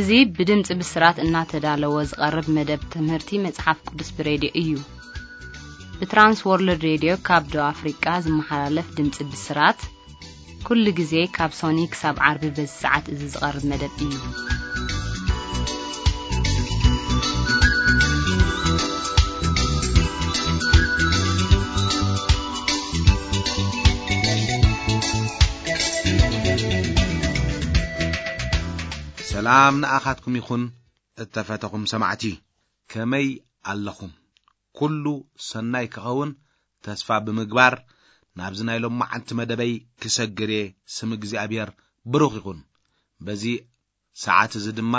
እዚ ብድምጺ ብስራት እናተዳለወ ዝቐርብ መደብ ትምህርቲ መጽሓፍ ቅዱስ ብሬድዮ እዩ። ብትራንስ ወርልድ ሬድዮ ካብ ደቡብ ኣፍሪቃ ዝመሓላለፍ ድምጺ ብስራት፣ ኩሉ ግዜ ካብ ሶኒ ክሳብ ዓርቢ በዚ ሰዓት እዚ ዝቐርብ መደብ እዩ። ሰላም ንኣኻትኩም ይኹን፣ እተፈተኹም ሰማዕቲ። ከመይ ኣለኹም? ኩሉ ሰናይ ክኸውን ተስፋ ብምግባር፣ ናብዚ ናይ ሎማዓንቲ መደበይ ክሰግር እየ። ስም እግዚኣብሔር ብሩኽ ይኹን። በዚ ሰዓት እዚ ድማ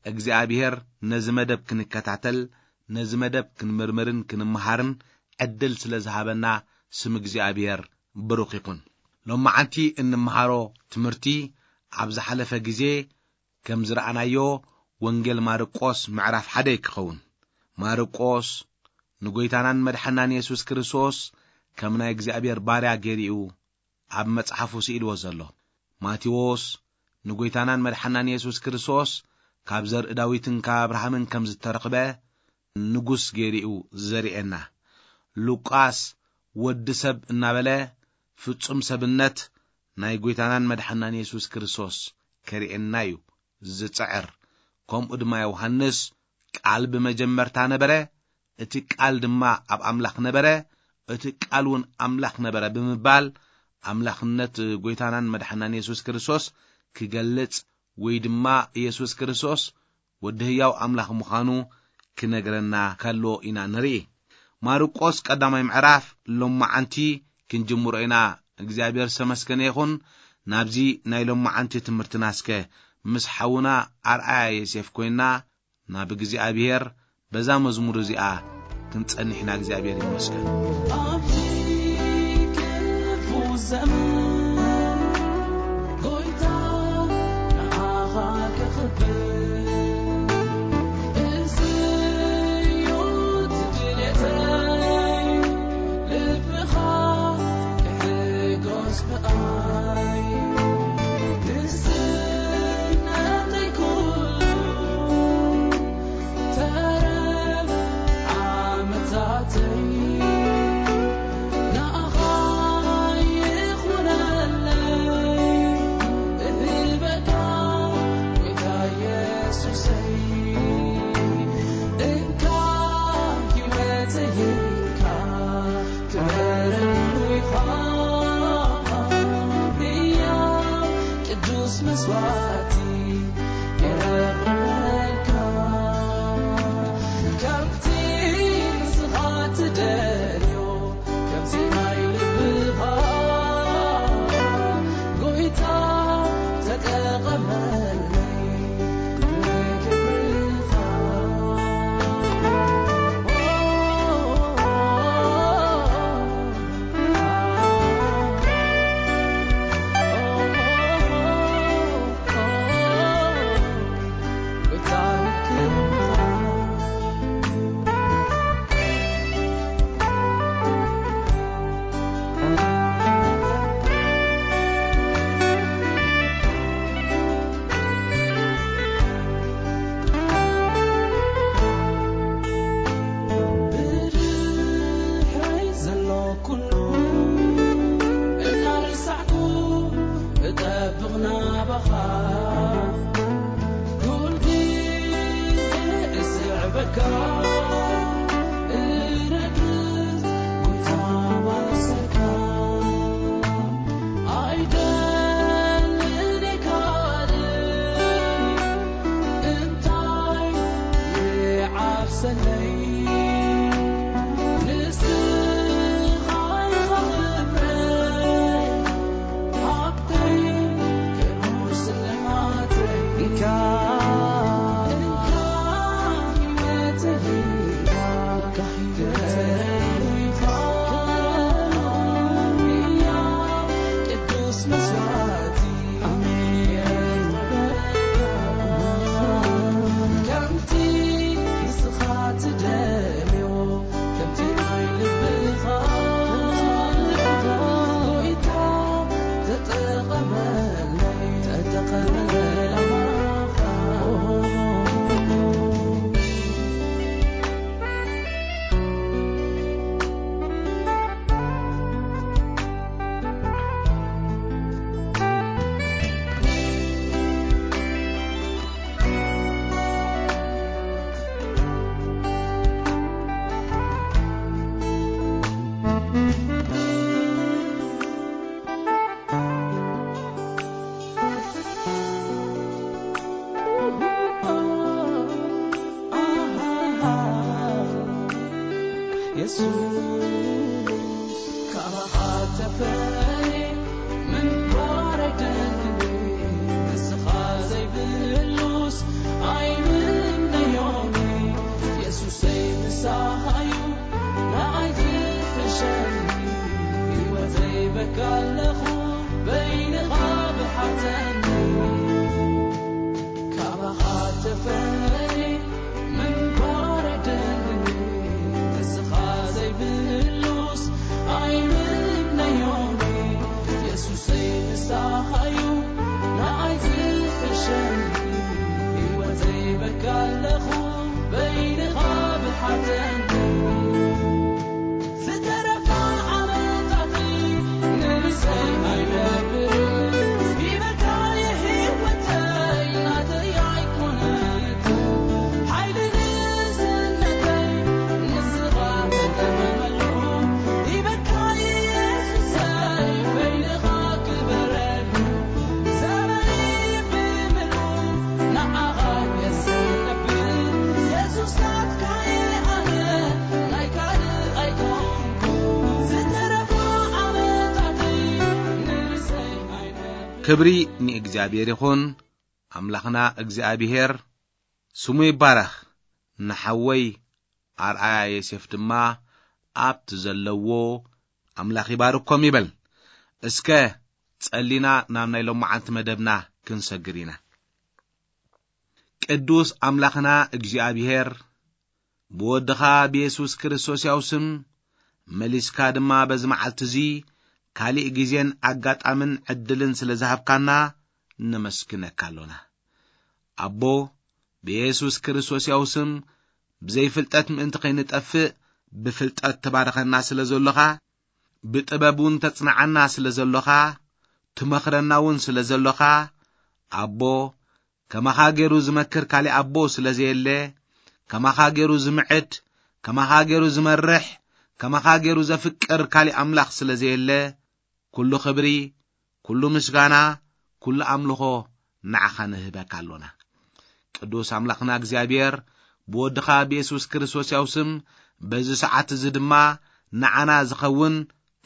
እግዚኣብሔር ነዚ መደብ ክንከታተል፣ ነዚ መደብ ክንምርምርን ክንምሃርን ዕድል ስለ ዝሃበና ስም እግዚኣብሔር ብሩኽ ይኹን። ሎማዓንቲ እንምሃሮ ትምህርቲ ኣብ ዝሓለፈ ግዜ ከም ዝረኣናዮ ወንጌል ማርቆስ ምዕራፍ ሓደ ክኸውን። ማርቆስ ንጎይታናን መድሓናን የሱስ ክርስቶስ ከም ናይ እግዚኣብሔር ባርያ ገይሩ እዩ ኣብ መጽሓፉ ስኢልዎ ዘሎ። ማቴዎስ ንጎይታናን መድሓናን የሱስ ክርስቶስ ካብ ዘርኢ ዳዊትን ካብ ኣብርሃምን ከም ዝተረኽበ ንጉስ ገይሩ እዩ ዘርእየና። ሉቃስ ወዲ ሰብ እናበለ ፍጹም ሰብነት ናይ ጎይታናን መድሓናን የሱስ ክርስቶስ ከርእየና እዩ ዝጽዕር። ከምኡ ድማ ዮሃንስ፣ "ቃል ብመጀመርታ ነበረ፣ እቲ ቃል ድማ ኣብ ኣምላኽ ነበረ፣ እቲ ቃል እውን ኣምላኽ ነበረ" ብምባል ኣምላኽነት ጎይታናን መድሓናን የሱስ ክርስቶስ ክገልጽ፣ ወይ ድማ የሱስ ክርስቶስ ወዲ ህያው ኣምላኽ ምዃኑ ክነግረና ከሎ ኢና ንርኢ። ማርቆስ ቀዳማይ ምዕራፍ ሎማዓንቲ ክንጅምሮ ኢና። እግዚኣብሔር ዝተመስገነ ይኹን። ናብዚ ናይ ሎማዓንቲ ትምህርትና እስከ ምስ ሓውና ኣርኣያ ዮሴፍ ኮይና ናብ እግዚኣብሔር በዛ መዝሙር እዚኣ ክንጸንሕ ኢና። እግዚኣብሔር ይመስገን። ኣብዚ ክፉ ዘመን ጎይታ ንዓኻ ከኽብር፣ እዚ እዩ ድሌተይ፣ ልብኻ ክሕጎስ ብኣይ። ንስነተይ ኩሉ ተረፍ ዓመታተይ ንኣኻ ይኹነለይ፣ እህበካ ጎይታ የሱሰይ። እንካ ህይወተይ እንካ፣ ክበረሉ ኢኻ ብያ ቅዱስ መስዋዕቲ የረክበልካ። ከምቲ ንስኻ ትደልዮ፣ ከምቲ ናይ ልብኻ ጎይታ ተጠቐመለይ ንክብርኻ። ብድሕረይ ዘሎ ኩሉ እናረሳዕኩ እጠብቕ ናባኻ፣ ኩሉ ግዜ እስዕበካ፣ እነግስ ጎይታ ባሰካ። ኣይደልን ካልእ እንታይ ይዓብሰለይ፣ ንስኻ ኢኻ ክብረይ፣ ሃብተይ፣ ክቡር ስልማተይ። እንካ ህይወተይ የሱሰይ ንስኻዩ ንዓይ ዝሕሸኒ፣ ህይወተይ በካ ኣለኹ በይንኻ ብሓተኒ። ዝተረፋ ዓመታተይ ንርእሰይ ኣይነብርን፣ ሂበካ የህይወተይ ናተይ ኣይኮነትን። ሓይሊ ንእስነተይ ንስኻ ተተመመሉ፣ ሂበካ የሱሰይ በይንኻ ክበረሉ። ዘመነይ ብምልኡ ንዓኻ የሰነብር፣ የሱስ ናትካ እየ ኣነ፣ ናይ ካልእ ኣይኮንኩ። ዝተረፋ ዓመታተይ ንርእሰይ ኣይነብርን። ክብሪ ንእግዚኣብሔር ይኹን። ኣምላኽና እግዚኣብሔር ስሙ ይባረኽ። ንሓወይ ኣርኣያ ዮሴፍ ድማ ኣብቲ ዘለዎ ኣምላኽ ይባርኮም ይበል። እስከ ጸሊና ናብ ናይ ሎማዓንቲ መደብና ክንሰግር ኢና። ቅዱስ ኣምላኽና እግዚኣብሔር፣ ብወድኻ ብየሱስ ክርስቶስ ያው ስም መሊስካ ድማ በዚ መዓልቲ እዚ ካሊእ ግዜን ኣጋጣምን ዕድልን ስለ ዝሃብካና ነመስግነካ ኣሎና። ኣቦ፣ ብየሱስ ክርስቶስ ያው ስም ብዘይፍልጠት ምእንቲ ከይንጠፍእ ብፍልጠት ትባርኸና ስለ ዘሎኻ፣ ብጥበብ እውን ተጽንዓና ስለ ዘሎኻ፣ ትመኽረና እውን ስለ ዘሎኻ፣ ኣቦ፣ ከማኻ ገይሩ ዝመክር ካሊእ ኣቦ ስለ ዘየለ፣ ከማኻ ገይሩ ዝምዕድ፣ ከማኻ ገይሩ ዝመርሕ፣ ከማኻ ገይሩ ዘፍቅር ካሊእ ኣምላኽ ስለ ዘየለ፣ ኩሉ ክብሪ፣ ኩሉ ምስጋና፣ ኩሉ ኣምልኾ ንዓኻ ንህበካ ኣሎና። ቅዱስ ኣምላኽና እግዚኣብሔር፣ ብወድኻ ብየሱስ ክርስቶስ ያው ስም፣ በዚ ሰዓት እዚ ድማ ንዓና ዝኸውን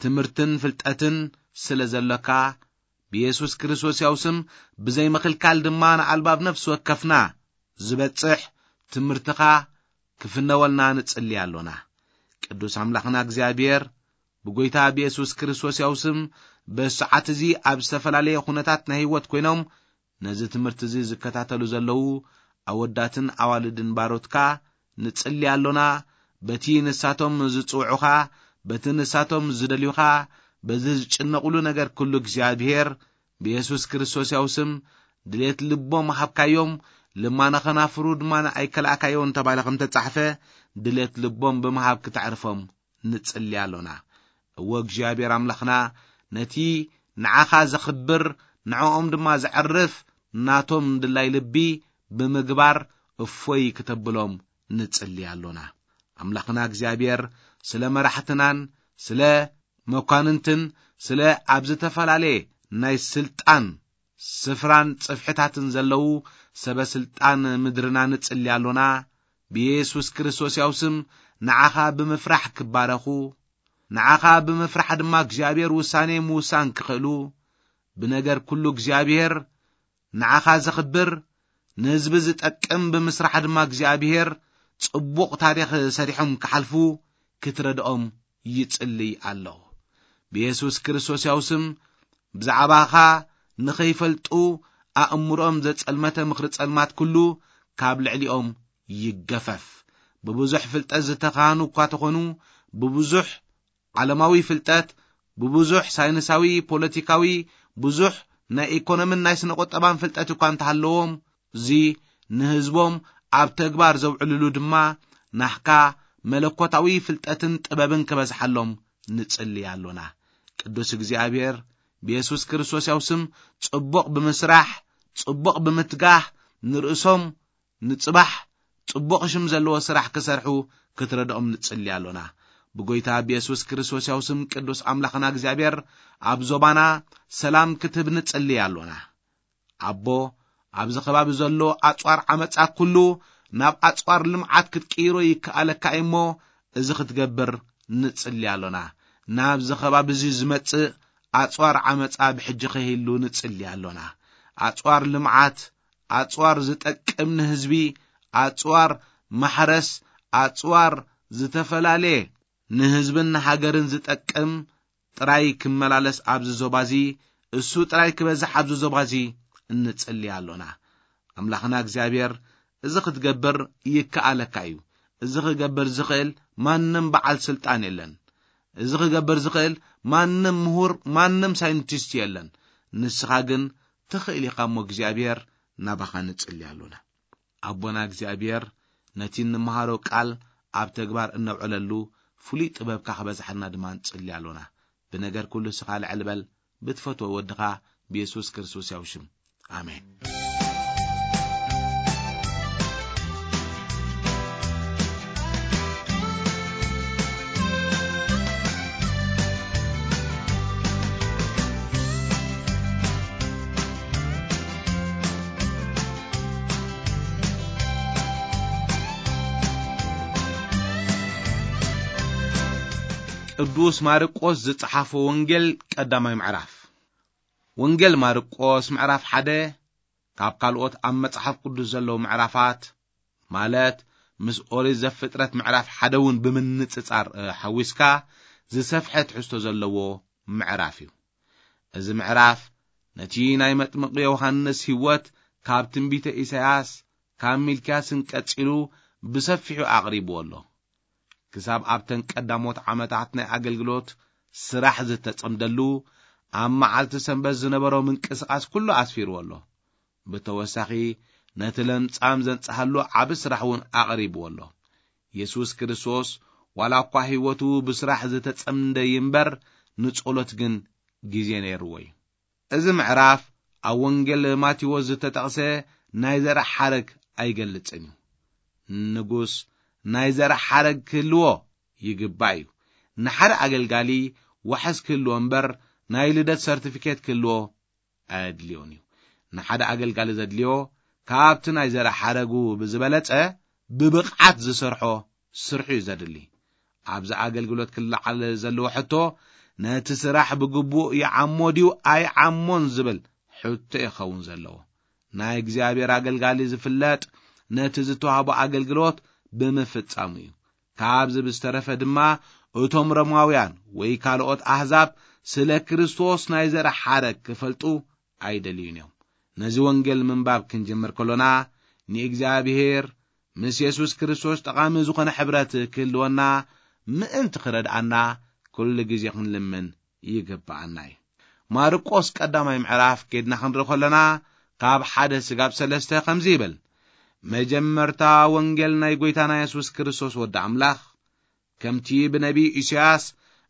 ትምህርትን ፍልጠትን ስለ ዘሎካ፣ ብየሱስ ክርስቶስ ያው ስም ብዘይ ምኽልካል ድማ ንኣልባብ ነፍሲ ወከፍና ዝበጽሕ ትምህርትኻ ክፍነወልና ንጽሊ ኣሎና። ቅዱስ ኣምላኽና እግዚኣብሔር፣ ብጎይታ ብየሱስ ክርስቶስ ያው ስም በዚ ሰዓት እዚ ኣብ ዝተፈላለየ ኩነታት ናይ ህይወት ኮይኖም ነዚ ትምህርቲ እዚ ዝከታተሉ ዘለዉ ኣወዳትን ኣዋልድን ባሮትካ ንጽሊ ኣሎና። በቲ ንሳቶም ዝጽውዑኻ፣ በቲ ንሳቶም ዝደልዩኻ፣ በዚ ዝጭነቑሉ ነገር ኩሉ እግዚኣብሔር ብየሱስ ክርስቶስ ያው ስም ድሌት ልቦም ሃብካዮም። ልማነ ኸናፍሩ ድማ ኣይከልኣካዮን ተባለ ከም ተጻሕፈ፣ ድሌት ልቦም ብምሃብ ክተዕርፎም ንጽሊ ኣሎና። እወ እግዚኣብሔር ኣምላኽና፣ ነቲ ንዓኻ ዘኽብር፣ ንዕኦም ድማ ዘዕርፍ ናቶም ድላይ ልቢ ብምግባር እፎይ ክተብሎም ንጽሊ ኣሎና። ኣምላኽና እግዚኣብሔር፣ ስለ መራሕትናን ስለ መኳንንትን ስለ ኣብ ዝተፈላለየ ናይ ስልጣን ስፍራን ጽፍሕታትን ዘለዉ ሰበ ስልጣን ምድርና ንጽሊ ኣሎና። ብየሱስ ክርስቶስ ያው ስም ንዓኻ ብምፍራሕ ክባረኹ፣ ንዓኻ ብምፍራሕ ድማ እግዚኣብሔር ውሳኔ ምውሳን ክኽእሉ፣ ብነገር ኩሉ እግዚኣብሔር ንዓኻ ዘኽብር፣ ንህዝቢ ዝጠቅም ብምስራሕ ድማ እግዚኣብሔር ጽቡቕ ታሪኽ ሰሪሖም ክሓልፉ ክትረድኦም ይጽልይ ኣለኹ። ብየሱስ ክርስቶስ ያው ስም ብዛዕባኻ ንኸይፈልጡ ኣእምሮኦም ዘጸልመተ ምኽሪ ጸልማት ኩሉ ካብ ልዕሊኦም ይገፈፍ። ብብዙሕ ፍልጠት ዝተኻህኑ እኳ ተኾኑ፣ ብብዙሕ ዓለማዊ ፍልጠት፣ ብብዙሕ ሳይንሳዊ፣ ፖለቲካዊ፣ ብዙሕ ናይ ኢኮኖምን ናይ ስነ ቁጠባን ፍልጠት እኳ እንተሃለዎም፣ እዚ ንህዝቦም ኣብ ተግባር ዘውዕልሉ ድማ ናህካ መለኮታዊ ፍልጠትን ጥበብን ክበዝሓሎም ንጽሊ ኣሎና። ቅዱስ እግዚኣብሔር ብየሱስ ክርስቶስ ያው ስም ጽቡቕ ብምስራሕ፣ ጽቡቕ ብምትጋህ፣ ንርእሶም ንጽባሕ ጽቡቕ ሽም ዘለዎ ስራሕ ክሰርሑ ክትረድኦም ንጽሊ ኣሎና። ብጎይታ ብየሱስ ክርስቶስ ያው ስም ቅዱስ ኣምላኽና እግዚኣብሔር ኣብ ዞባና ሰላም ክትህብ ንጽሊ ኣሎና። ኣቦ፣ ኣብዚ ከባቢ ዘሎ ኣጽዋር ዓመጻ ኩሉ ናብ ኣጽዋር ልምዓት ክትቅይሮ ይከኣለካ እሞ፣ እዚ ክትገብር ንጽሊ ኣሎና። ናብዚ ከባቢ እዚ ዝመጽእ ኣጽዋር ዓመጻ ብሕጂ ከይህሉ ንጽሊ ኣሎና። ኣጽዋር ልምዓት፣ ኣጽዋር ዝጠቅም ንህዝቢ፣ ኣጽዋር ማሕረስ፣ ኣጽዋር ዝተፈላለየ ንህዝብን ንሃገርን ዝጠቅም ጥራይ ክመላለስ ኣብዚ ዞባ እዚ፣ እሱ ጥራይ ክበዝሕ ኣብዚ ዞባ እዚ እንጽሊ ኣሎና። ኣምላኽና እግዚኣብሔር፣ እዚ ክትገብር ይከኣለካ እዩ። እዚ ክገብር ዝኽእል ማንም በዓል ስልጣን የለን። እዚ ክገብር ዝኽእል ማንም ምሁር፣ ማንም ሳይንቲስት የለን። ንስኻ ግን ትኽእል ኢኻ እሞ እግዚኣብሔር ናባኻ ንጽሊ ኣሎና። ኣቦና እግዚኣብሔር ነቲ እንመሃሮ ቃል ኣብ ተግባር እነውዕለሉ ፍሉይ ጥበብካ ክበዝሓልና ድማ ንጽሊ ኣሎና። ብነገር ኩሉ ስኻ ልዕል በል፣ ብትፈትዎ ወድኻ ብየሱስ ክርስቶስ ያው ሽም። ኣሜን። ቅዱስ ማርቆስ ዝጸሓፎ ወንጌል ቀዳማይ ምዕራፍ። ወንጌል ማርቆስ ምዕራፍ ሓደ ካብ ካልኦት ኣብ መጽሓፍ ቅዱስ ዘለዉ ምዕራፋት፣ ማለት ምስ ኦሪት ዘፍጥረት ምዕራፍ ሓደ እውን ብምንጽጻር፣ እ፣ ሓዊስካ ዝሰፍሐ ትሕዝቶ ዘለዎ ምዕራፍ እዩ። እዚ ምዕራፍ ነቲ ናይ መጥምቕ ዮሃንስ ህይወት ካብ ትንቢተ ኢሳያስ፣ ካብ ሚልክያስን ቀጺሉ ብሰፊሑ ኣቕሪብዎ ኣሎ። ክሳብ ኣብተን ቀዳሞት ዓመታት ናይ ኣገልግሎት ስራሕ ዝተጸምደሉ፣ ኣብ መዓልቲ ሰንበት ዝነበሮ ምንቅስቓስ ኩሉ ኣስፊርዎ ኣሎ። ብተወሳኺ፣ ነቲ ለምጻም ዘንጽሃሉ ዓቢ ስራሕ እውን ኣቕሪብዎ ኣሎ። የሱስ ክርስቶስ ዋላ እኳ ህይወቱ ብስራሕ ዝተጸምደ ይንበር፣ ንጸሎት ግን ግዜ ነይርዎ እዩ። እዚ ምዕራፍ ኣብ ወንጌል ማቴዎስ ዝተጠቕሰ ናይ ዘርእ ሓረግ ኣይገልጽን እዩ። ንጉስ ናይ ዘርእ ሓረግ ክህልዎ ይግባእ እዩ። ንሓደ ኣገልጋሊ ዋሕስ ክህልዎ እምበር፣ ናይ ልደት ሰርቲፊኬት ክህልዎ ኣየድልዮን እዩ። ንሓደ ኣገልጋሊ ዘድልዮ፣ ካብቲ ናይ ዘርእ ሓረጉ ብዝበለጸ ብብቕዓት ዝሰርሖ ስርሑ እዩ ዘድሊ። ኣብዚ ኣገልግሎት ክለዓል ዘለዎ ሕቶ፣ ነቲ ስራሕ ብግቡእ ይዓሞ ድዩ ኣይዓሞን ዝብል ሕቶ ይኸውን ዘለዎ። ናይ እግዚኣብሔር ኣገልጋሊ ዝፍለጥ ነቲ ዝተዋህቦ ኣገልግሎት ብምፍጻሙ እዩ። ካብዚ ብዝተረፈ ድማ፣ እቶም ሮማውያን ወይ ካልኦት ኣህዛብ ስለ ክርስቶስ ናይ ዘርእ ሓረግ ክፈልጡ ኣይደልዩን እዮም። ነዚ ወንጌል ምንባብ ክንጅምር ከሎና፣ ንእግዚኣብሔር ምስ የሱስ ክርስቶስ ጠቓሚ ዝኾነ ሕብረት ክህልወና ምእንቲ ክረድኣና፣ ኩሉ ግዜ ክንልምን ይግብኣና እዩ። ማርቆስ ቀዳማይ ምዕራፍ ኬድና ክንርኢ ከለና፣ ካብ ሓደ ስጋብ ሰለስተ ከምዚ ይብል፣ መጀመርታ ወንጌል ናይ ጐይታና የሱስ ክርስቶስ ወዲ ኣምላኽ፣ ከምቲ ብነቢይ ኢሳያስ፣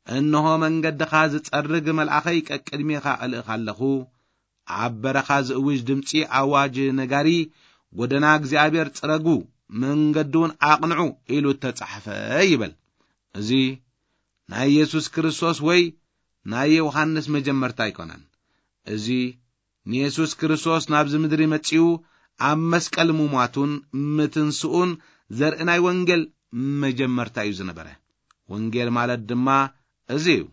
"እንሆ መንገድኻ ዝጸርግ መልኣኸይ ቀቅድሜኻ እልእኽ ኣለኹ፣ ኣብ በረኻ ዝእውጅ ድምጺ ኣዋጅ ነጋሪ፣ ጎደና እግዚኣብሔር ጽረጉ፣ መንገዱ እውን ኣቕንዑ" ኢሉ እተጻሕፈ ይብል። እዚ ናይ የሱስ ክርስቶስ ወይ ናይ ዮሃንስ መጀመርታ ኣይኮነን። እዚ ንየሱስ ክርስቶስ ናብዚ ምድሪ መጺኡ ኣብ መስቀል ምሟቱን ምትንስኡን ዘርኢ ናይ ወንጌል መጀመርታ እዩ ዝነበረ። ወንጌል ማለት ድማ እዚ እዩ።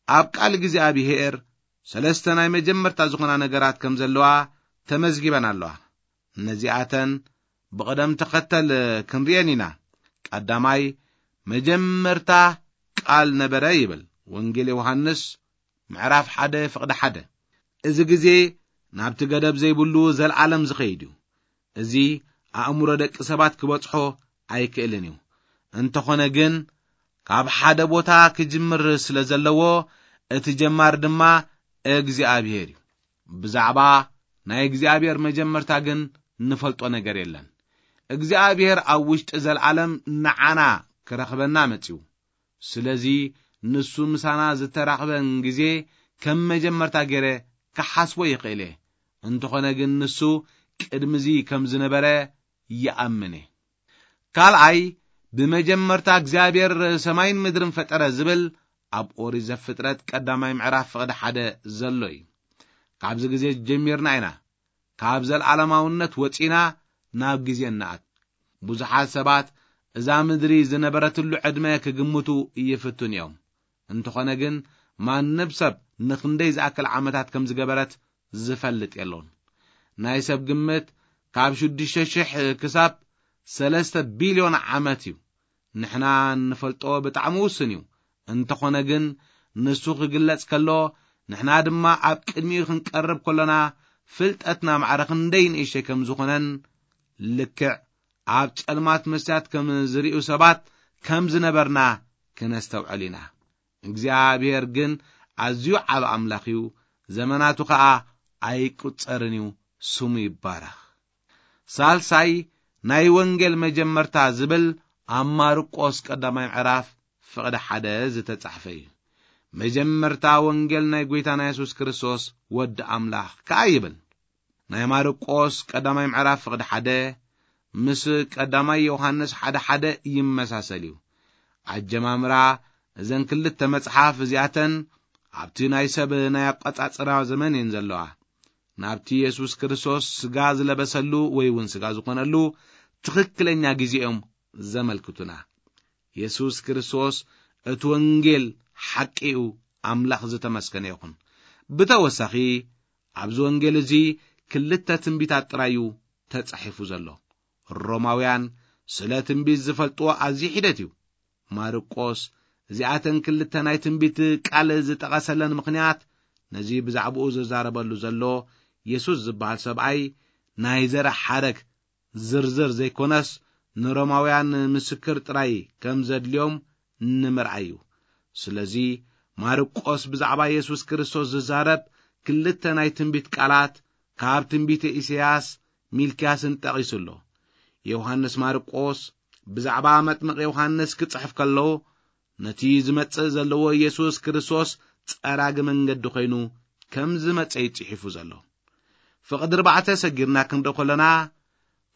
ኣብ ቃል እግዚኣብሔር ሰለስተ ናይ መጀመርታ ዝኾና ነገራት ከም ዘለዋ ተመዝጊበን ኣለዋ። ነዚኣተን ብቕደም ተኸተል ክንርእየን ኢና። ቀዳማይ፣ መጀመርታ ቃል ነበረ ይብል ወንጌል ዮሃንስ ምዕራፍ ሓደ ፍቕዲ ሓደ። እዚ ግዜ ናብቲ ገደብ ዘይብሉ ዘልዓለም ዝኸይድ እዩ። እዚ ኣእምሮ ደቂ ሰባት ክበጽሖ ኣይክእልን እዩ። እንተኾነ ግን፣ ካብ ሓደ ቦታ ክጅምር ስለ ዘለዎ፣ እቲ ጀማር ድማ እግዚኣብሔር እዩ። ብዛዕባ ናይ እግዚኣብሔር መጀመርታ ግን ንፈልጦ ነገር የለን። እግዚኣብሔር ኣብ ውሽጢ ዘልዓለም ንዓና ክረኽበና መጺኡ። ስለዚ ንሱ ምሳና ዝተራኽበን ግዜ ከም መጀመርታ ገይረ ክሓስቦ ይኽእል እየ። እንተኾነ ግን ንሱ ቅድሚዚ ከም ዝነበረ ይኣምን እየ። ካልኣይ፣ ብመጀመርታ እግዚኣብሔር ሰማይን ምድርን ፈጠረ ዝብል ኣብ ኦሪት ዘፍጥረት ቀዳማይ ምዕራፍ ፍቕዲ ሓደ ዘሎ እዩ። ካብዚ ግዜ ጀሚርና ኢና ካብ ዘለዓለማውነት ወጺና ናብ ግዜ እንኣት። ብዙሓት ሰባት እዛ ምድሪ ዝነበረትሉ ዕድመ ክግምቱ ይፍትኑ እዮም። እንተኾነ ግን ማንም ሰብ ንኽንደይ ዝኣክል ዓመታት ከም ዝገበረት ዝፈልጥ የሎን። ናይ ሰብ ግምት ካብ ሽዱሽተ ሽሕ ክሳብ ሰለስተ ቢልዮን ዓመት እዩ። ንሕና እንፈልጦ ብጣዕሚ ውሱን እዩ። እንተኾነ ግን ንሱ ክግለጽ ከሎ፣ ንሕና ድማ ኣብ ቅድሚኡ ክንቀርብ ከሎና፣ ፍልጠትና ማዕረ ክንደይ ንእሽተይ ከም ዝኾነን፣ ልክዕ ኣብ ጸልማት መስትያት ከም ዝርእዩ ሰባት ከም ዝነበርና ክነስተውዕል ኢና። እግዚኣብሔር ግን ኣዝዩ ዓብ ኣምላኽ እዩ፣ ዘመናቱ ኸኣ ኣይቁጸርን እዩ፣ ስሙ ይባረኽ። ሳልሳይ ናይ ወንጌል መጀመርታ ዝብል ኣብ ማርቆስ ቀዳማይ ምዕራፍ ፍቕዲ ሓደ ዝተጻሕፈ እዩ። መጀመርታ ወንጌል ናይ ጐይታና የሱስ ክርስቶስ ወዲ ኣምላኽ ከኣ ይብል። ናይ ማርቆስ ቀዳማይ ምዕራፍ ፍቕዲ ሓደ ምስ ቀዳማይ ዮሃንስ ሓደ ሓደ ይመሳሰል እዩ። ኣጀማምራ እዘን ክልተ መጽሓፍ እዚኣተን ኣብቲ ናይ ሰብ ናይ ኣቋጻጽራ ዘመን እየን ዘለዋ። ናብቲ የሱስ ክርስቶስ ስጋ ዝለበሰሉ ወይ እውን ስጋ ዝኾነሉ ትኽክለኛ ግዜ እዮም ዘመልክቱና። የሱስ ክርስቶስ እቲ ወንጌል ሓቂ እዩ። ኣምላኽ ዝተመስገነ ይኹን። ብተወሳኺ ኣብዚ ወንጌል እዚ ክልተ ትንቢታት ጥራይ እዩ ተጻሒፉ ዘሎ። ሮማውያን ስለ ትንቢት ዝፈልጥዎ ኣዝዩ ሒደት እዩ። ማርቆስ እዚኣተን ክልተ ናይ ትንቢት ቃል ዝጠቐሰለን ምኽንያት ነዚ ብዛዕባኡ ዝዛረበሉ ዘሎ የሱስ ዝበሃል ሰብኣይ ናይ ዘር ሓረግ ዝርዝር ዘይኮነስ ንሮማውያን ምስክር ጥራይ ከም ዘድልዮም ንምርኣይ እዩ። ስለዚ ማርቆስ ብዛዕባ የሱስ ክርስቶስ ዝዛረብ ክልተ ናይ ትንቢት ቃላት ካብ ትንቢተ ኢሳያስ ሚልክያስን ጠቒሱ ኣሎ። ዮሃንስ ማርቆስ ብዛዕባ መጥምቕ ዮሃንስ ክጽሕፍ ከሎ ነቲ ዝመጽእ ዘለዎ የሱስ ክርስቶስ ጸራጊ መንገዲ ኮይኑ ከም ዝመጸ እዩ ጽሒፉ ዘሎ። ፍቕዲ ኣርባዕተ ሰጊርና ክንርኢ ከለና፣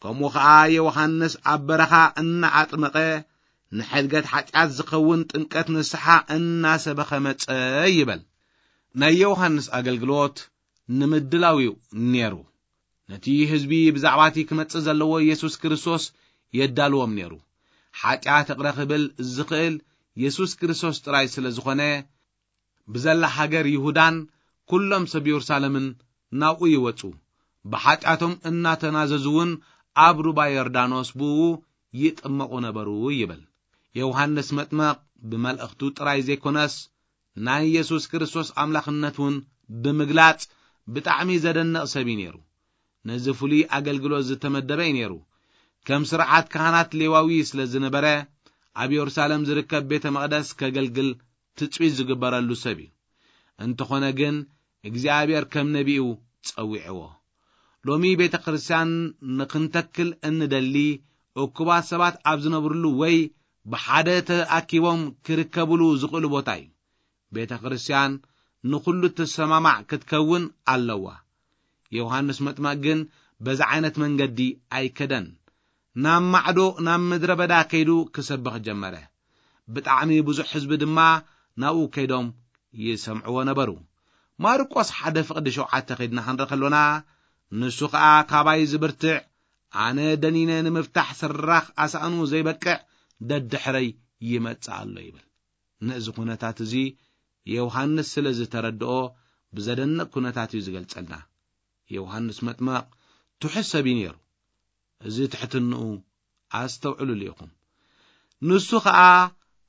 ከምኡ ኸኣ ዮሃንስ ኣብ በረኻ እናኣጥመቐ ንሕድገት ሓጢኣት ዝኸውን ጥምቀት ንስሓ እናሰበኸ መጸ ይበል። ናይ ዮሃንስ ኣገልግሎት ንምድላው እዩ ነይሩ። ነቲ ህዝቢ ብዛዕባ እቲ ክመጽእ ዘለዎ የሱስ ክርስቶስ የዳልዎም ነይሩ። ሓጢኣት ይቕረ ክብል ዝኽእል የሱስ ክርስቶስ ጥራይ ስለ ዝኾነ፣ ብዘላ ሃገር ይሁዳን ኩሎም ሰብ የሩሳሌምን ናብኡ ይወጹ። ብሓጢኣቶም እናተናዘዙ እውን ኣብ ሩባ ዮርዳኖስ ብእኡ ይጥመቑ ነበሩ ይብል። ዮሃንስ መጥመቕ ብመልእኽቱ ጥራይ ዘይኮነስ ናይ የሱስ ክርስቶስ ኣምላኽነት እውን ብምግላጽ ብጣዕሚ ዘደንቕ ሰብ እዩ ነይሩ። ነዚ ፍሉይ ኣገልግሎት ዝተመደበ እዩ ነይሩ። ከም ስርዓት ካህናት ሌዋዊ ስለ ዝነበረ ኣብ የሩሳሌም ዝርከብ ቤተ መቕደስ ከገልግል ትጽቢት ዝግበረሉ ሰብ እዩ። እንተኾነ ግን እግዚኣብሔር ከም ነቢኡ ጸዊዕዎ። ሎሚ ቤተ ክርስቲያን ንኽንተክል እንደሊ እኩባት ሰባት ኣብ ዝነብርሉ ወይ ብሓደ ተኣኪቦም ክርከብሉ ዝኽእሉ ቦታ እዩ። ቤተ ክርስቲያን ንኹሉ ትሰማማዕ ክትከውን ኣለዋ። ዮሃንስ መጥመቕ ግን በዚ ዓይነት መንገዲ ኣይከደን። ናብ ማዕዶ ናብ ምድረ በዳ ከይዱ ክሰብኽ ጀመረ። ብጣዕሚ ብዙሕ ህዝቢ ድማ ናብኡ ከይዶም ይሰምዕዎ ነበሩ። ማርቆስ ሓደ ፍቕዲ ሸውዓተ ከይድና ክንርኢ ከሎና፣ ንሱ ኸኣ ካባይ ዝብርትዕ ኣነ ደኒነ ንምፍታሕ ስራኽ ኣሳእኑ ዘይበቅዕ ደድሕረይ ይመጽእ ኣሎ ይብል። ነዚ ኩነታት እዚ ዮሃንስ ስለ ዝተረድኦ ብዘደንቕ ኩነታት እዩ ዝገልጸልና። ዮሃንስ መጥመቕ ትሑት ሰብ እዩ ነይሩ። እዚ ትሕትንኡ ኣስተውዕሉሉ ኢኹም። ንሱ ኸኣ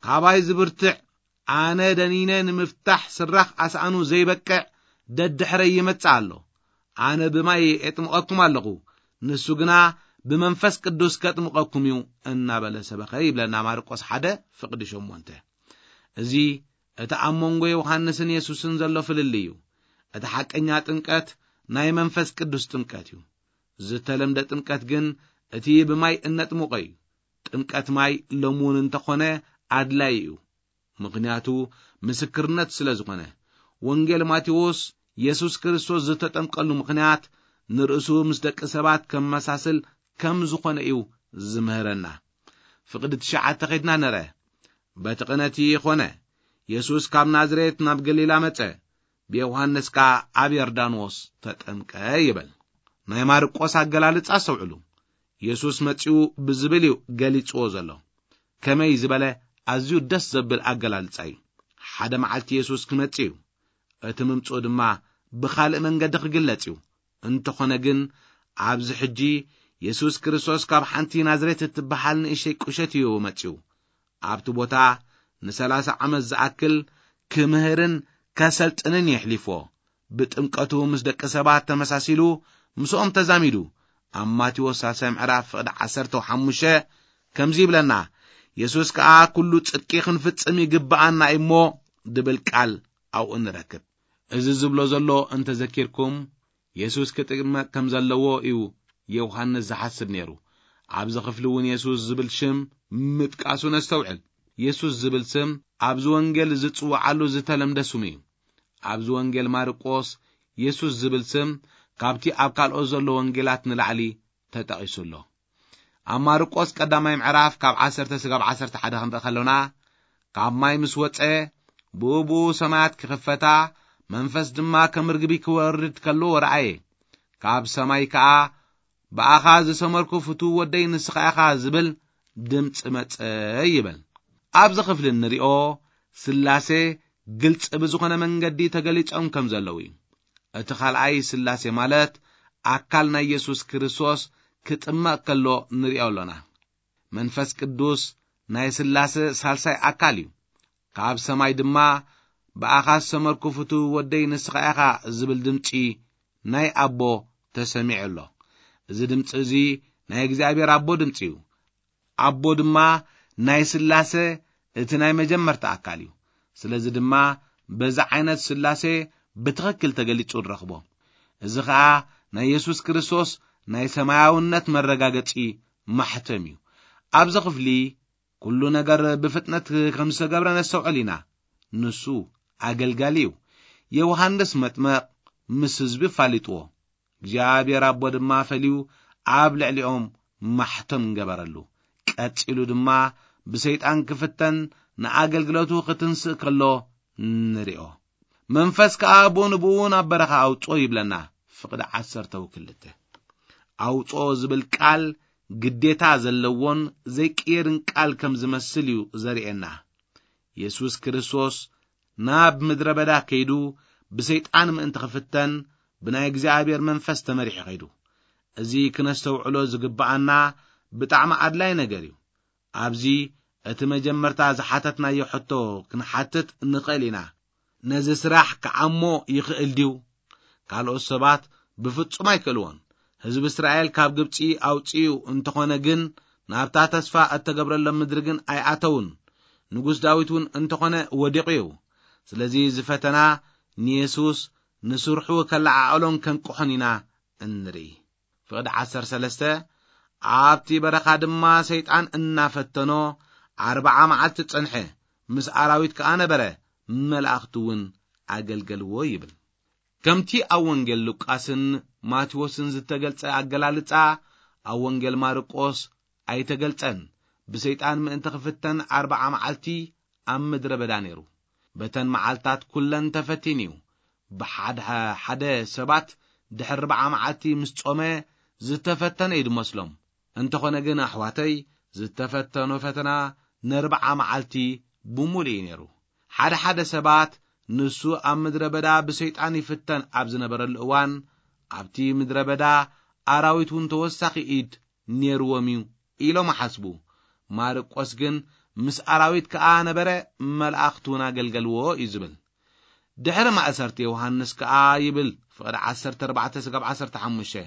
ካባይ ዝብርትዕ ኣነ ደኒነ ንምፍታሕ ስራኽ ኣሳእኑ ዘይበቅዕ ደድሕረይ ይመጽእ ኣሎ። ኣነ ብማይ የጥምቐኩም ኣለኹ፣ ንሱ ግና ብመንፈስ ቅዱስ ከጥምቐኩም እዩ እናበለ ሰበኸ ይብለና ማርቆስ ሓደ ፍቕዲ ሸሞንተ። እዚ እቲ ኣብ መንጎ ዮሃንስን የሱስን ዘሎ ፍልልይ እዩ። እቲ ሓቀኛ ጥምቀት ናይ መንፈስ ቅዱስ ጥምቀት እዩ። ዝተለምደ ጥምቀት ግን እቲ ብማይ እነጥምቖ እዩ። ጥምቀት ማይ ሎሚ እውን እንተኾነ ኣድላዪ እዩ። ምኽንያቱ ምስክርነት ስለ ዝኾነ። ወንጌል ማቴዎስ የሱስ ክርስቶስ ዝተጠምቀሉ ምኽንያት ንርእሱ ምስ ደቂ ሰባት ከመሳስል ከም ዝኾነ እዩ ዝምህረና። ፍቕዲ ትሽዓተ ኸድና ንርአ። በቲ ቅነቲ ኾነ። የሱስ ካብ ናዝሬት ናብ ገሊላ መጸ፣ ብዮሃንስ ከኣ ኣብ ዮርዳኖስ ተጠምቀ ይብል። ናይ ማርቆስ ኣገላልጻ ኣስተውዕሉ። የሱስ መጺኡ ብዝብል እዩ ገሊጽዎ ዘሎ። ከመይ ዝበለ ኣዝዩ ደስ ዘብል ኣገላልጻ እዩ። ሓደ መዓልቲ የሱስ ክመጽእ እዩ። እቲ ምምጽኡ ድማ ብኻልእ መንገዲ ክግለጽ እዩ። እንተኾነ ግን ኣብዚ ሕጂ የሱስ ክርስቶስ ካብ ሓንቲ ናዝሬት እትበሃል ንእሽተይ ቁሸት እዩ መጺኡ። ኣብቲ ቦታ ንሰላሳ ዓመት ዝኣክል ክምህርን ከሰልጥንን የሕሊፎ። ብጥምቀቱ ምስ ደቂ ሰባት ተመሳሲሉ ምስኦም ተዛሚዱ። ኣብ ማቴዎስ ሳልሳይ ምዕራፍ ፍቕዲ ዓሰርተ ሓሙሽተ ከምዚ ይብለና፣ የሱስ ከኣ ኩሉ ጽድቂ ክንፍጽም ይግብኣና እዩ እሞ ድብል ቃል ኣብኡ ንረክብ። እዚ ዝብሎ ዘሎ እንተዘኪርኩም፣ የሱስ ክጥመቕ ከም ዘለዎ እዩ ዮሃንስ ዝሓስብ ነይሩ። ኣብዚ ክፍሊ እውን የሱስ ዝብል ሽም ምጥቃሱ ነስተውዕል። የሱስ ዝብል ስም ኣብዚ ወንጌል ዝጽውዓሉ ዝተለምደ ስሙ እዩ። ኣብዚ ወንጌል ማርቆስ የሱስ ዝብል ስም ካብቲ ኣብ ካልኦት ዘሎ ወንጌላት ንላዕሊ ተጠቒሱ ኣሎ። ኣብ ማርቆስ ቀዳማይ ምዕራፍ ካብ ዓሰርተ ስጋብ ዓሰርተ ሓደ ክንርኢ ከሎና፣ ካብ ማይ ምስ ወጸ፣ ብኡ ብኡ ሰማያት ክኽፈታ፣ መንፈስ ድማ ከም ርግቢ ክወርድ ከሎ ረኣየ። ካብ ሰማይ ከኣ፣ "ብኣኻ ዝሰመርኩ ፍቱው ወደይ ንስኻ ኢኻ" ዝብል ድምጺ መጸ ይብል። ኣብዚ ክፍሊ እንሪኦ፣ ስላሴ ግልጺ ብዝኾነ መንገዲ ተገሊጾም ከም ዘለዉ እዩ። እቲ ካልኣይ ስላሴ ማለት ኣካል ናይ የሱስ ክርስቶስ ክጥመቕ ከሎ ንሪኦ ኣሎና። መንፈስ ቅዱስ ናይ ስላሴ ሳልሳይ ኣካል እዩ። ካብ ሰማይ ድማ፣ "ብኣኻ ዝሰመርኩ ፍቱው ወደይ ንስኻ ኢኻ" ዝብል ድምጺ ናይ ኣቦ ተሰሚዑ ኣሎ። እዚ ድምጺ እዚ ናይ እግዚኣብሔር ኣቦ ድምጺ እዩ። ኣቦ ድማ ናይ ስላሴ እቲ ናይ መጀመርታ ኣካል እዩ። ስለዚ ድማ በዚ ዓይነት ስላሴ ብትኽክል ተገሊጹ ንረኽቦ። እዚ ኸኣ ናይ የሱስ ክርስቶስ ናይ ሰማያውነት መረጋገጺ ማሕተም እዩ። ኣብዚ ክፍሊ ኩሉ ነገር ብፍጥነት ከም ዝተገብረ ነስተውዕል ኢና። ንሱ ኣገልጋሊ እዩ። ዮሃንስ መጥመቕ ምስ ህዝቢ ኣፋሊጥዎ። እግዚኣብሔር ኣቦ ድማ ፈልዩ ኣብ ልዕሊኦም ማሕተም ገበረሉ። ቀጺሉ ድማ ብሰይጣን ክፍተን ንኣገልግሎቱ ክትንስእ ከሎ ንሪኦ። መንፈስ ከኣ ብኡ ንብኡ ናብ በረኻ ኣውጽኦ ይብለና። ፍቕዲ ዓሰርተ ክልተ። ኣውጽኦ ዝብል ቃል ግዴታ ዘለዎን ዘይቅየርን ቃል ከም ዝመስል እዩ ዘርእየና። የሱስ ክርስቶስ ናብ ምድረ በዳ ከይዱ ብሰይጣን ምእንቲ ክፍተን ብናይ እግዚኣብሔር መንፈስ ተመሪሑ ከይዱ። እዚ ክነስተውዕሎ ዝግብኣና ብጣዕሚ ኣድላይ ነገር እዩ። ኣብዚ እቲ መጀመርታ ዝሓተትናዮ ሕቶ ክንሓትት ንኽእል ኢና። ነዚ ስራሕ ክዓሞ ይኽእል ድዩ? ካልኦት ሰባት ብፍጹም ኣይክእልዎን። ህዝቢ እስራኤል ካብ ግብጺ ኣውጺኡ እንተኾነ ግን፣ ናብታ ተስፋ እተገብረሎም ምድሪ ግን ኣይኣተውን። ንጉስ ዳዊት እውን እንተኾነ ወዲቑ እዩ። ስለዚ እዚ ፈተና ንየሱስ ንስርሑ ከለዓዕሎን ከንቅሖን ኢና እንርኢ። ፍቕዲ ዓሰርተ ሰለስተ። ኣብቲ በረኻ ድማ ሰይጣን እናፈተኖ ኣርብዓ መዓልቲ ጸንሐ፣ ምስ ኣራዊት ከኣ ነበረ፣ መላእኽቲ እውን ኣገልገልዎ ይብል። ከምቲ ኣብ ወንጌል ሉቃስን ማቴዎስን ዝተገልጸ ኣገላልጻ፣ ኣብ ወንጌል ማርቆስ ኣይተገልጸን። ብሰይጣን ምእንቲ ክፍተን ኣርብዓ መዓልቲ ኣብ ምድረ በዳ ነይሩ። በተን መዓልታት ኩለን ተፈቲኑ እዩ። ብሓደ ሓደ ሰባት ድሕሪ ኣርብዓ መዓልቲ ምስ ጾመ ዝተፈተነ እዩ ዝመስሎም። እንተኾነ ግን ኣሕዋተይ፣ ዝተፈተኖ ፈተና ነርብዓ መዓልቲ ብምሉእ እዩ ነይሩ። ሓደ ሓደ ሰባት ንሱ ኣብ ምድረ በዳ ብሰይጣን ይፍተን ኣብ ዝነበረሉ እዋን፣ ኣብቲ ምድረ በዳ ኣራዊት እውን ተወሳኺ ኢድ ነይርዎም እዩ ኢሎም ይሓስቡ። ማርቆስ ግን ምስ ኣራዊት ከኣ ነበረ፣ መላእኽቲ እውን ኣገልገልዎ እዩ ዝብል። ድሕሪ ማእሰርቲ ዮሃንስ ከኣ ይብል፣ ፍቕዲ ዓሰርተ ኣርባዕተ ስጋብ ዓሰርተ ሓሙሽተ፣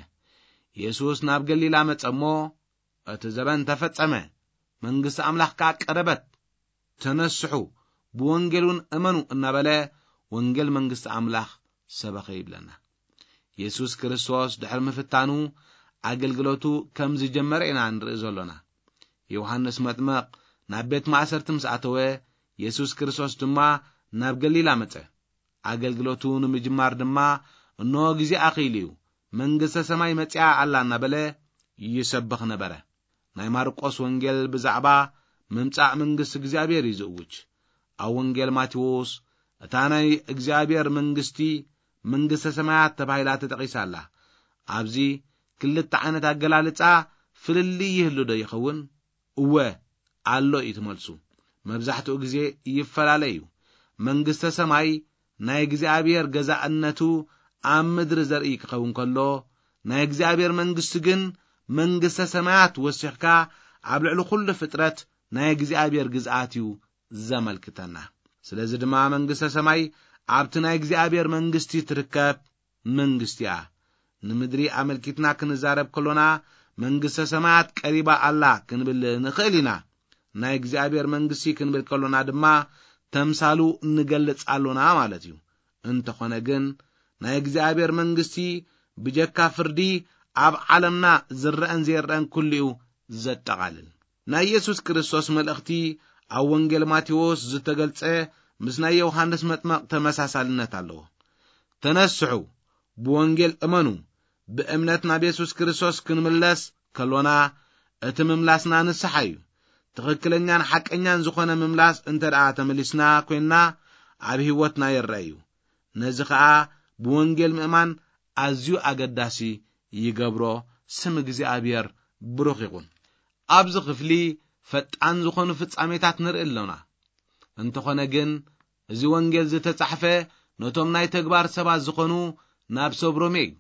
የሱስ ናብ ገሊላ መጸ እሞ፣ "እቲ ዘበን ተፈጸመ፣ መንግስቲ ኣምላኽ ከኣ ቀረበት፣ ተነስሑ፣ ብወንጌል እውን እመኑ" እናበለ ወንጌል መንግስቲ ኣምላኽ ሰበኸ ይብለና። የሱስ ክርስቶስ ድሕሪ ምፍታኑ ኣገልግሎቱ ከም ዝጀመረ ኢና ንርኢ ዘሎና። ዮሃንስ መጥምቕ ናብ ቤት ማእሰርቲ ምስ ኣተወ፣ የሱስ ክርስቶስ ድማ ናብ ገሊላ መጸ። ኣገልግሎቱ ንምጅማር ድማ፣ "እንሆ ግዜ ኣኺሉ እዩ፣ መንግስተ ሰማይ መጺኣ ኣላ" እናበለ ይሰብኽ ነበረ። ናይ ማርቆስ ወንጌል ብዛዕባ ምምጻእ መንግስቲ እግዚኣብሔር እዩ ዝእውጅ። ኣብ ወንጌል ማቴዎስ፣ እታ ናይ እግዚኣብሔር መንግስቲ፣ መንግስተ ሰማያት ተባሂላ ተጠቒሳ ኣላ። ኣብዚ ክልተ ዓይነት ኣገላልጻ ፍልልይ ይህሉ ዶ ይኸውን? እወ፣ ኣሎ እዩ እቲ መልሱ። መብዛሕትኡ ግዜ ይፈላለ እዩ። መንግስተ ሰማይ ናይ እግዚኣብሔር ገዛእነቱ ኣብ ምድሪ ዘርኢ ክኸውን ከሎ፣ ናይ እግዚኣብሔር መንግስቲ ግን መንግስተ ሰማያት ወሲኽካ ኣብ ልዕሊ ኩሉ ፍጥረት ናይ እግዚኣብሔር ግዝኣት እዩ ዘመልክተና። ስለዚ ድማ መንግስተ ሰማይ ኣብቲ ናይ እግዚኣብሔር መንግስቲ ትርከብ መንግስቲ እያ። ንምድሪ ኣመልኪትና ክንዛረብ ከሎና፣ መንግስተ ሰማያት ቀሪባ ኣላ ክንብል ንኽእል ኢና። ናይ እግዚኣብሔር መንግስቲ ክንብል ከሎና ድማ፣ ተምሳሉ ንገልጽ ኣሎና ማለት እዩ። እንተኾነ ግን ናይ እግዚኣብሔር መንግስቲ ብጀካ ፍርዲ ኣብ ዓለምና ዝረአን ዘይረአን ኩሉኡ ዘጠቓልል። ናይ ኢየሱስ ክርስቶስ መልእኽቲ ኣብ ወንጌል ማቴዎስ ዝተገልጸ ምስ ናይ ዮሃንስ መጥመቕ ተመሳሳልነት ኣለዎ። "ተነስሑ፣ ብወንጌል እመኑ፣ ብእምነት ናብ የሱስ ክርስቶስ ክንምለስ ከሎና፣ እቲ ምምላስና ንስሓ እዩ። ትኽክለኛን ሓቀኛን ዝኾነ ምምላስ እንተ ደኣ ተመሊስና ኮይንና፣ ኣብ ህይወትና ይረአ እዩ። ነዚ ኸኣ ብወንጌል ምእማን ኣዝዩ ኣገዳሲ ይገብሮ። ስም እግዚኣብሔር ብሩኽ ይኹን። ኣብዚ ክፍሊ ፈጣን ዝኾኑ ፍጻሜታት ንርኢ ኣሎና። እንተኾነ ግን፣ እዚ ወንጌል ዝተጻሕፈ ነቶም ናይ ተግባር ሰባት ዝኾኑ ናብ ሰብ ሮሜ እዩ።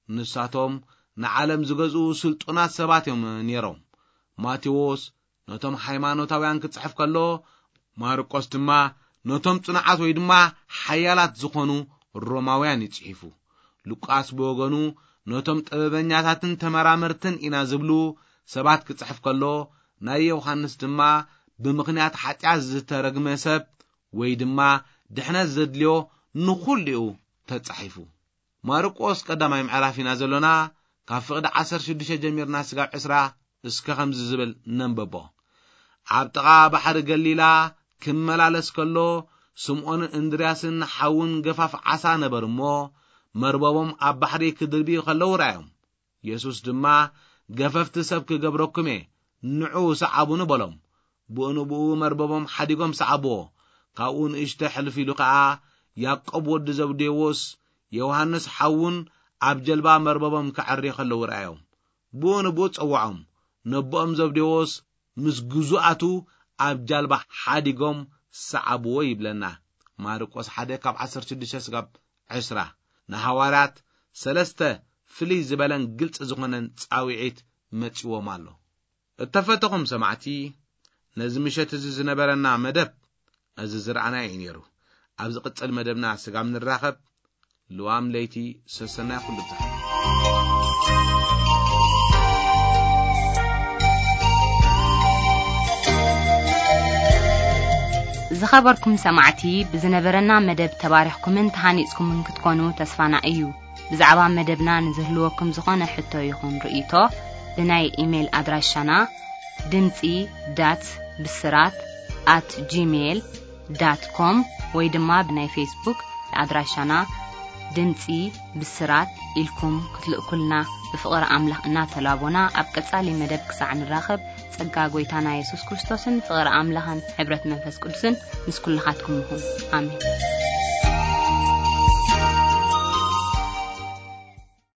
ንሳቶም ንዓለም ዝገዝኡ ስልጡናት ሰባት እዮም ነይሮም። ማቴዎስ ነቶም ሃይማኖታውያን ክጽሕፍ ከሎ፣ ማርቆስ ድማ ነቶም ጽኑዓት ወይ ድማ ሓያላት ዝኾኑ ሮማውያን እዩ ጽሒፉ። ሉቃስ ብወገኑ ነቶም ጥበበኛታትን ተመራመርትን ኢና ዝብሉ ሰባት ክጽሕፍ ከሎ፣ ናይ ዮሃንስ ድማ ብምኽንያት ሓጢኣት ዝተረግመ ሰብ ወይ ድማ ድሕነት ዘድልዮ ንኹሉ እዩ ተጻሒፉ። ማርቆስ ቀዳማይ ምዕራፍ ኢና ዘሎና፣ ካብ ፍቕዲ ዓሰርተ ሽዱሽተ ጀሚርና ስጋብ ዕስራ እስከ ከምዚ ዝብል ነንበቦ። ኣብ ጥቓ ባሕሪ ገሊላ ክመላለስ ከሎ፣ ስምዖንን እንድርያስን ሓውን ገፋፍ ዓሳ ነበር እሞ፣ መርበቦም ኣብ ባሕሪ ክድርብዩ ከለዉ ረኣዮም። የሱስ ድማ፣ "ገፈፍቲ ሰብ ክገብረኩም እየ፣ ንዑ ሰዓቡኒ" በሎም። ብኡ ንብኡ መርበቦም ሓዲጎም ሰዓብዎ። ካብኡ ንእሽቶ ሕልፍ ኢሉ ኸኣ፣ ያዕቆብ ወዲ ዘብዴዎስ፣ ዮሃንስ ሓውን ኣብ ጀልባ መርበቦም ከዐርዩ ከለዉ ረኣዮም። ብኡ ንብኡ ጸውዖም። ነቦኦም ዘብዴዎስ ምስ ግዙኣቱ ኣብ ጃልባ ሓዲጎም ሰዓብዎ ይብለና። ማርቆስ ሓደ ካብ ዓሰርተ ሽዱሽተ ስጋብ ዕስራ። ንሃዋርያት ሰለስተ ፍልይ ዝበለን ግልጺ ዝኾነን ጻውዒት መጺዎም ኣሎ። እተፈተኹም ሰማዕቲ፣ ነዚ ምሸት እዚ ዝነበረና መደብ እዚ ዝረኣናዮ እዩ ነይሩ። ኣብ ዝቕጽል መደብና ስጋብ ንራኸብ፣ ልዋም ለይቲ ሰሰናይ ኩሉ ብዝሓ። ዝኸበርኩም ሰማዕቲ፣ ብዝነበረና መደብ ተባሪኽኩምን ተሃኒጽኩምን ክትኮኑ ተስፋና እዩ። ብዛዕባ መደብና ንዝህልወኩም ዝኾነ ሕቶ ይኹን ርእይቶ፣ ብናይ ኢሜይል ኣድራሻና ድምጺ ዳት ብስራት ኣት ጂሜይል ዳት ኮም ወይ ድማ ብናይ ፌስቡክ ኣድራሻና ድምጺ ብስራት ኢልኩም ክትልእኩልና ብፍቕሪ ኣምላኽ እናተላቦና፣ ኣብ ቀጻሊ መደብ ክሳዕ ንራኸብ፣ ጸጋ ጐይታና የሱስ ክርስቶስን ፍቕሪ ኣምላኽን ሕብረት መንፈስ ቅዱስን ምስ ኩልኻትኩም ይኹን። ኣሜን።